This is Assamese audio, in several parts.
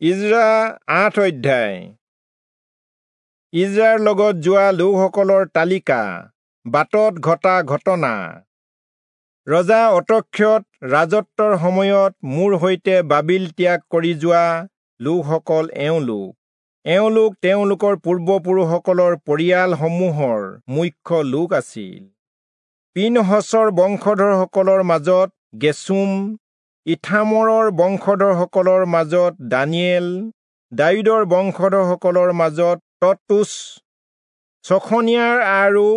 ইজ্ৰা ৮ অধ্যায়। ইজ্ৰাৰ লগত যোৱা লোকসকলৰ তালিকা, বাটত ঘটা ঘটনা। ৰজা অতক্ষত ৰাজত্বৰ সময়ত মোৰ সৈতে বাবিল ত্যাগ কৰি যোৱা লোকসকল এওঁলোক। এওঁলোক তেওঁলোকৰ পূৰ্বপুৰুষসকলৰ পৰিয়ালসমূহৰ মুখ্য লোক আছিল। পিনহচৰ বংশধৰসকলৰ মাজত গেচোম, ইথামৰৰ বংশধৰসকলৰ মাজত দানিয়েল, দায়ূদৰ বংশধৰসকলৰ মাজত তট্টুচ, চখনিয়াৰ আৰু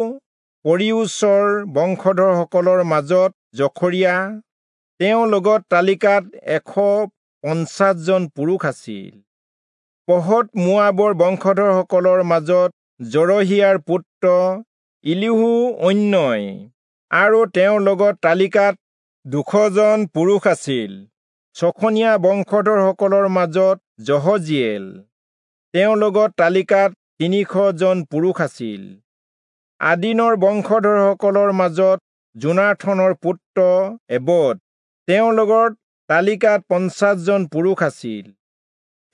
পৰিয়োচৰ বংশধৰসকলৰ মাজত জখৰিয়া। তেওঁৰ লগত তালিকাত 150 জন পুৰুষ আছিল। পহত মোৱাবৰ বংশধৰসকলৰ মাজত জৰহিয়াৰ পুত্ৰ ইলিহু-অন্যয় আৰু তেওঁৰ লগত তালিকাত 200 জন পুৰুষ আছিল। চখনিয়া বংশধৰসকলৰ মাজত যহজিয়েল, তেওঁৰ লগত তালিকাত 300 জন পুৰুষ আছিল। আদিনৰ বংশধৰসকলৰ মাজত যোনাথনৰ পুত্ৰ এবদ, তেওঁৰ লগত তালিকাত 50 জন পুৰুষ আছিল।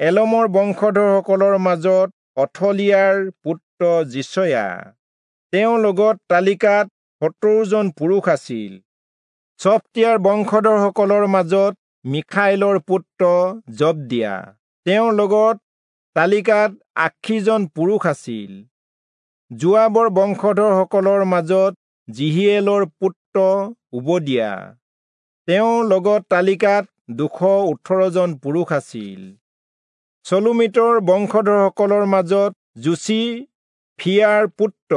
এলমৰ বংশধৰসকলৰ মাজত অথলিয়াৰ পুত্ৰ যিচয়া, তেওঁৰ লগত তালিকাত 70 জন পুৰুষ আছিল। চফটিয়াৰ বংশধৰসকলৰ মাজত মিখাইলৰ পুত্ৰ জবদিয়া, তেওঁৰ লগত তালিকাত 80 জন পুৰুষ আছিল। যোৱাবৰ বংশধৰসকলৰ মাজত জিহিয়েলৰ পুত্ৰ ওবদিয়া, তেওঁৰ লগত তালিকাত 218 জন পুৰুষ আছিল। চলোমিতৰ বংশধৰসকলৰ মাজত যোচিফিয়াৰ পুত্ৰ,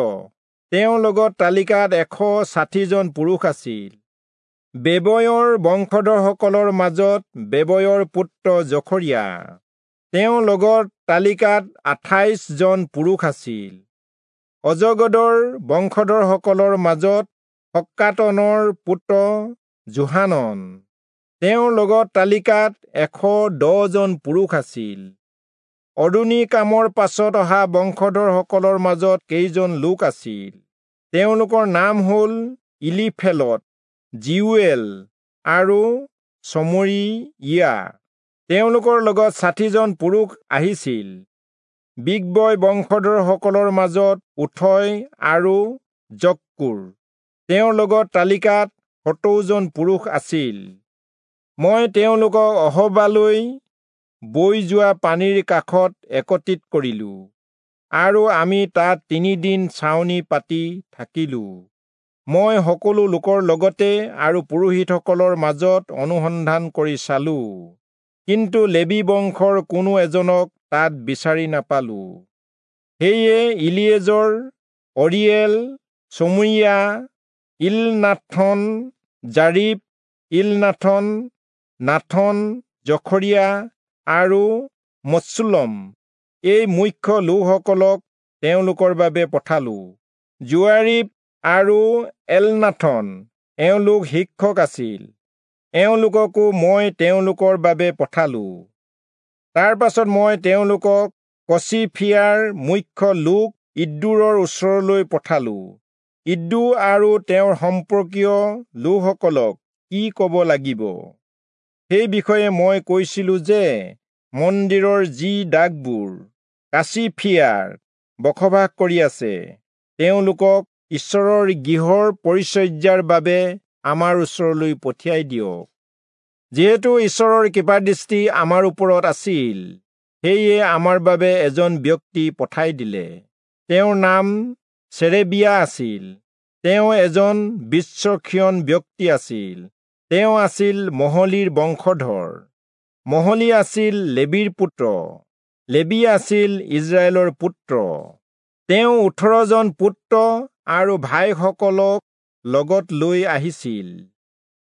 তেওঁৰ লগত তালিকাত 160 জন পুৰুষ আছিল। বেবয়ৰ বংশধৰসকলৰ মাজত বেবয়ৰ পুত্ৰ জখৰিয়া, তেওঁৰ লগত তালিকাত 28 জন পুৰুষ আছিল। অজগদৰ বংশধৰসকলৰ মাজত হক্কাতনৰ পুত্ৰ যোহানন, তেওঁৰ লগত তালিকাত 110 জন পুৰুষ আছিল। অদোনীকামৰ পাছত অহা বংশধৰসকলৰ মাজত কেইজন লোক আছিল। তেওঁলোকৰ নাম হ'ল ইলিফেলত, জিউৱেল আৰু চমৰিয়া। তেওঁলোকৰ লগত 60 জন পুৰুষ আহিছিল। বিগবয় বংশধৰসকলৰ মাজত উথয় আৰু জক্কুৰ, তেওঁৰ লগত তালিকাত 70 জন পুৰুষ আছিল। মই তেওঁলোকক অহবালৈ বৈ যোৱা পানীৰ কাষত একত্ৰিত কৰিলো আৰু আমি তাত 3 দিন ছাউনি পাতি থাকিলো। মই সকলো লোকৰ লগতে আৰু পুৰোহিতসকলৰ মাজত অনুসন্ধান কৰি চালো, কিন্তু লেবী বংশৰ কোনো এজনক তাত বিচাৰি নাপালো। সেয়ে ইলিয়েজৰ, অৰিয়েল, চমৰিয়া, ইলনাথন, জাৰিব, ইলনাথন, নাথন, জখৰিয়া আৰু মচুল্লম এই মুখ্য লোকসকলক তেওঁলোকৰ বাবে পঠালো। যোৱাৰীব আৰু এলনাথন এওঁলোক শিক্ষক আছিল, এওঁলোককো মই তেওঁলোকৰ বাবে পঠালো। তাৰ পাছত মই তেওঁলোকক কচিফিয়াৰ মুখ্য লোক ইদ্দোৰৰ ওচৰলৈ পঠালো। ইদ্দো আৰু তেওঁৰ সম্পৰ্কীয় লোকসকলক কি ক'ব লাগিব সেই বিষয়ে মই কৈছিলো যে মন্দিৰৰ যি দাগবোৰ কাচিফিয়াৰ বসবাস কৰি আছে, তেওঁলোকক ঈশ্বৰৰ গৃহৰ পৰিচৰ্যাৰ বাবে আমাৰ ওচৰলৈ পঠিয়াই দিয়ক। যিহেতু ঈশ্বৰৰ কৃপাদৃষ্টি আমাৰ ওপৰত আছিল, সেয়ে আমাৰ বাবে এজন ব্যক্তি পঠাই দিলে। তেওঁৰ নাম চেৰেবিয়া আছিল। তেওঁ এজন বিচক্ষণ ব্যক্তি আছিল। তেওঁ আছিল মহলীৰ বংশধৰ। মহলী আছিল লেবীৰ পুত্ৰ, লেবী আছিল ইজৰাইলৰ পুত্ৰ। তেওঁ 18 জন পুত্ৰ আৰু ভাইসকলক লগত লৈ আহিছিল।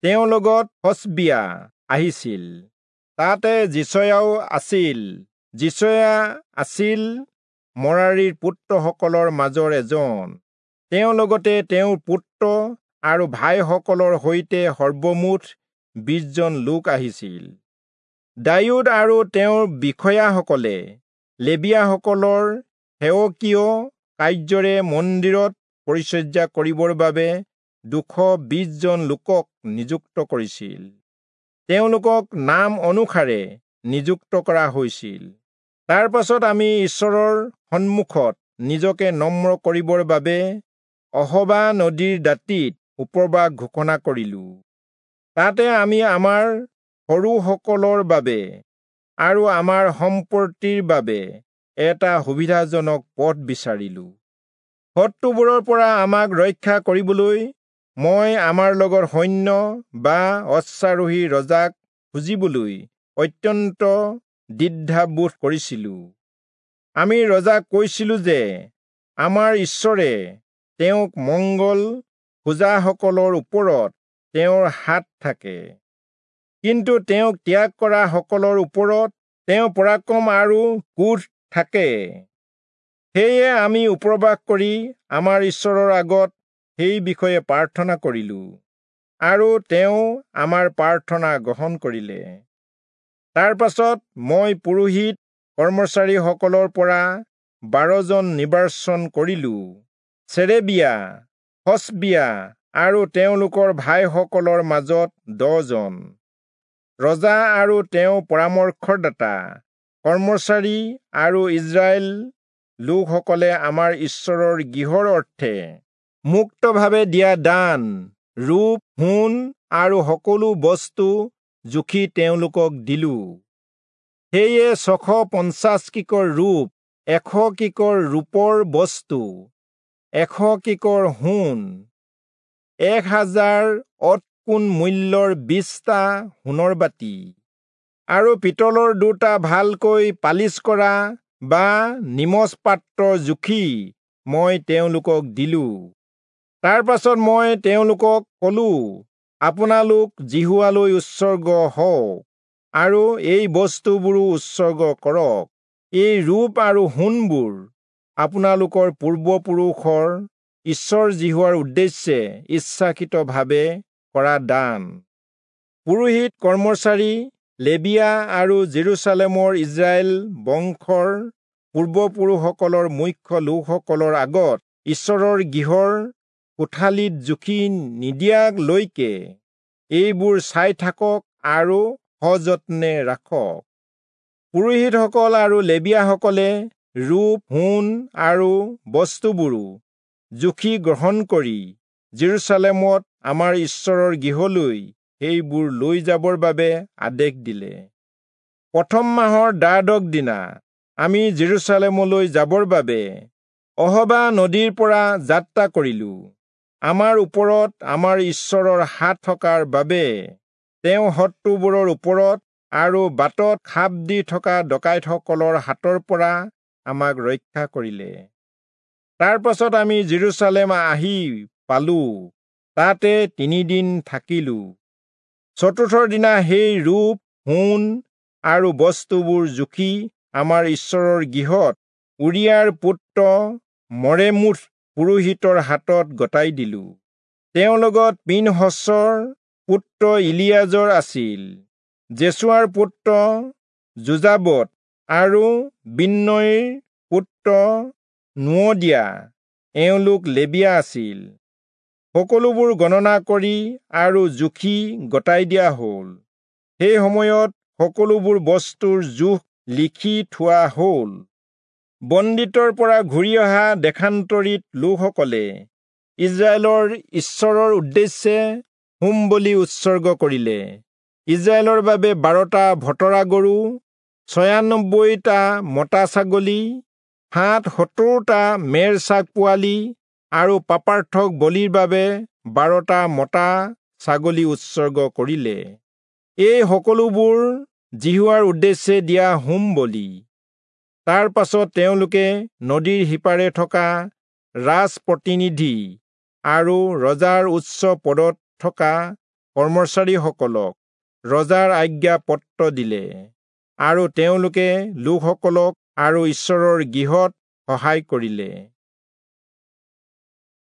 তেওঁৰ লগত হচবিয়া আহিছিল। তাতে যিচয়াও আছিল। যিচয়া আছিল মৰাৰীৰ পুত্ৰসকলৰ মাজৰ এজন। তেওঁৰ লগতে তেওঁৰ পুত্ৰ আৰু ভাইসকলৰ সৈতে সৰ্বমুঠ 20 জন লোক আহিছিল। দায়ূদ আৰু তেওঁৰ বিষয়াসকলে লেবীয়াসকলৰ সেৱকীয় কাৰ্যৰে মন্দিৰত পৰিচৰ্যা কৰিবৰ বাবে 220 জন লোকক নিযুক্ত কৰিছিল। তেওঁলোকক নাম অনুসাৰে নিযুক্ত কৰা হৈছিল। তাৰ পাছত আমি ঈশ্বৰৰ সন্মুখত নিজকে নম্ৰ কৰিবৰ বাবে অহবা নদীৰ দাঁতিত উপবাস ঘোষণা কৰিলোঁ। তাতে আমি আমাৰ সৰুসকলৰ বাবে আৰু আমাৰ সম্পত্তিৰ বাবে এটা সুবিধাজনক পথ বিচাৰিলোঁ। শত্ৰুবোৰৰ পৰা আমাক ৰক্ষা কৰিবলৈ মই আমাৰ লগত সৈন্য বা অশ্বাৰোহী ৰজাক খুজিবলৈ অত্যন্ত দ্বিধাবোধ কৰিছিলোঁ। আমি ৰজাক কৈছিলোঁ যে আমাৰ ঈশ্বৰে তেওঁক মংগল খোজাসকলৰ ওপৰত তেওঁৰ হাত থাকে, কিন্তু তেওঁক ত্যাগ কৰা সকলৰ ওপৰত তেওঁ পৰাক্ৰম আৰু ক্ৰোধ থাকে। সেয়ে আমি উপবাস কৰি আমাৰ ঈশ্বৰৰ আগত সেই বিষয়ে প্ৰাৰ্থনা কৰিলোঁ আৰু তেওঁ আমাৰ প্ৰাৰ্থনা গ্ৰহণ কৰিলে। তাৰ পাছত মই পুৰোহিত কৰ্মচাৰীসকলৰ পৰা 12 জন নিৰ্বাচন কৰিলোঁ, চেৰেবিয়া, হচবিয়া আৰু তেওঁলোকৰ ভাইসকলৰ মাজত 10 জন। ৰজা আৰু তেওঁ পৰামৰ্শদাতা কৰ্মচাৰী আৰু ইস্ৰায়েল লোকসকলে আমাৰ ঈশ্বৰৰ গৃহৰ অৰ্থে মুক্তভাৱে দিয়া দান, ৰূপ, সোণ আৰু সকলো বস্তু জুখি তেওঁলোকক দিলোঁ। সেয়ে 650 কিকৰ ৰূপ, 100 কিকৰ ৰূপৰ বস্তু, 100 কিকৰ সোণ, 1000 অতকোণ মূল্যৰ 20টা সোণৰ বাতি আৰু পিতলৰ 2টা ভালকৈ পালিচ কৰা বা নিমজ পাত্ৰ জুখি মই তেওঁলোকক দিলোঁ। তাৰ পাছত মই তেওঁলোকক কলোঁ, আপোনালোক যিহোৱালৈ উৎসৰ্গ হওক আৰু এই বস্তুবোৰো উৎসৰ্গ কৰক। এই ৰূপ আৰু সোণবোৰ আপোনালোকৰ পূৰ্বপুৰুষৰ ঈশ্বৰ যিহোৱাৰ উদ্দেশ্যে ইচ্ছাকৃতভাৱে কৰা দান। পুৰোহিত কৰ্মচাৰী, লেবিয়া আৰু জেৰুচালেমৰ ইস্ৰায়েল বংশৰ পূৰ্বপুৰুষসকলৰ মুখ্য লোকসকলৰ আগত ঈশ্বৰৰ গৃহৰ কোঠালিত জুখি নিদিয়ালৈকে এইবোৰ চাই থাকক আৰু সযত্নে ৰাখক। পুৰোহিতসকল আৰু লেবিয়াসকলে ৰূপ, সোণ আৰু বস্তুবোৰো জুখি গ্ৰহণ কৰি জেৰুচালেমত আমাৰ ঈশ্বৰৰ গৃহলৈ সেইবোৰ লৈ যাবৰ বাবে আদেশ দিলে। প্ৰথম মাহৰ 12 দিনা আমি জেৰুচালেমলৈ যাবৰ বাবে অহবা নদীৰ পৰা যাত্ৰা কৰিলোঁ। আমাৰ ওপৰত আমাৰ ঈশ্বৰৰ হাত থকাৰ বাবে তেওঁ শত্ৰুবোৰৰ ওপৰত আৰু বাটত খাপ দি থকা ডকাইতসকলৰ হাতৰ পৰা আমাক ৰক্ষা কৰিলে। তাৰ পাছত আমি জেৰুচালেম আহি পালোঁ, তাতে 3 দিন থাকিলোঁ। চতুৰ্থ দিনা সেই ৰূপ, সোণ আৰু বস্তুবোৰ জুখি আমাৰ ঈশ্বৰৰ গৃহত উৰিয়াৰ পুত্ৰ মৰেমোথ পুৰোহিতৰ হাতত গতাই দিলোঁ। তেওঁৰ লগত পিনহচৰ পুত্ৰ ইলিয়াজৰ আছিল, জেচুৱাৰ পুত্ৰ যোজাবদ আৰু বিন্নয়ৰ পুত্ৰ নোৱদিয়া, এওঁলোক লেবিয়া আছিল। সকলোবোৰ গণনা কৰি আৰু জুখি গতাই দিয়া হ'ল। সেই সময়ত সকলোবোৰ বস্তুৰ জোখ লিখি থোৱা হ'ল। বন্দীত্বৰ পৰা ঘূৰি অহা দেশান্তৰিত লোকসকলে ইস্ৰায়েলৰ ঈশ্বৰৰ উদ্দেশ্যে হোম বলি উৎসৰ্গ কৰিলে। ইস্ৰায়েলৰ বাবে 12টা ভতৰা গৰু, 96টা মতা ছাগলী, 770টা মেৰ ছাগ পোৱালি আৰু পাপাৰ্থক বলিৰ বাবে 12টা মতা ছাগলী উৎসৰ্গ কৰিলে। এই সকলোবোৰ যিহোৱাৰ উদ্দেশ্যে দিয়া হোম বলি। তাৰ পাছত তেওঁলোকে নদীৰ সিপাৰে থকা ৰাজপ্ৰতিনিধি আৰু ৰজাৰ উচ্চ পদত থকা কৰ্মচাৰীসকলক ৰজাৰ আজ্ঞা পত্ৰ দিলে আৰু তেওঁলোকে লোকসকলক আৰু ঈশ্বৰৰ গৃহত সহায় কৰিলে।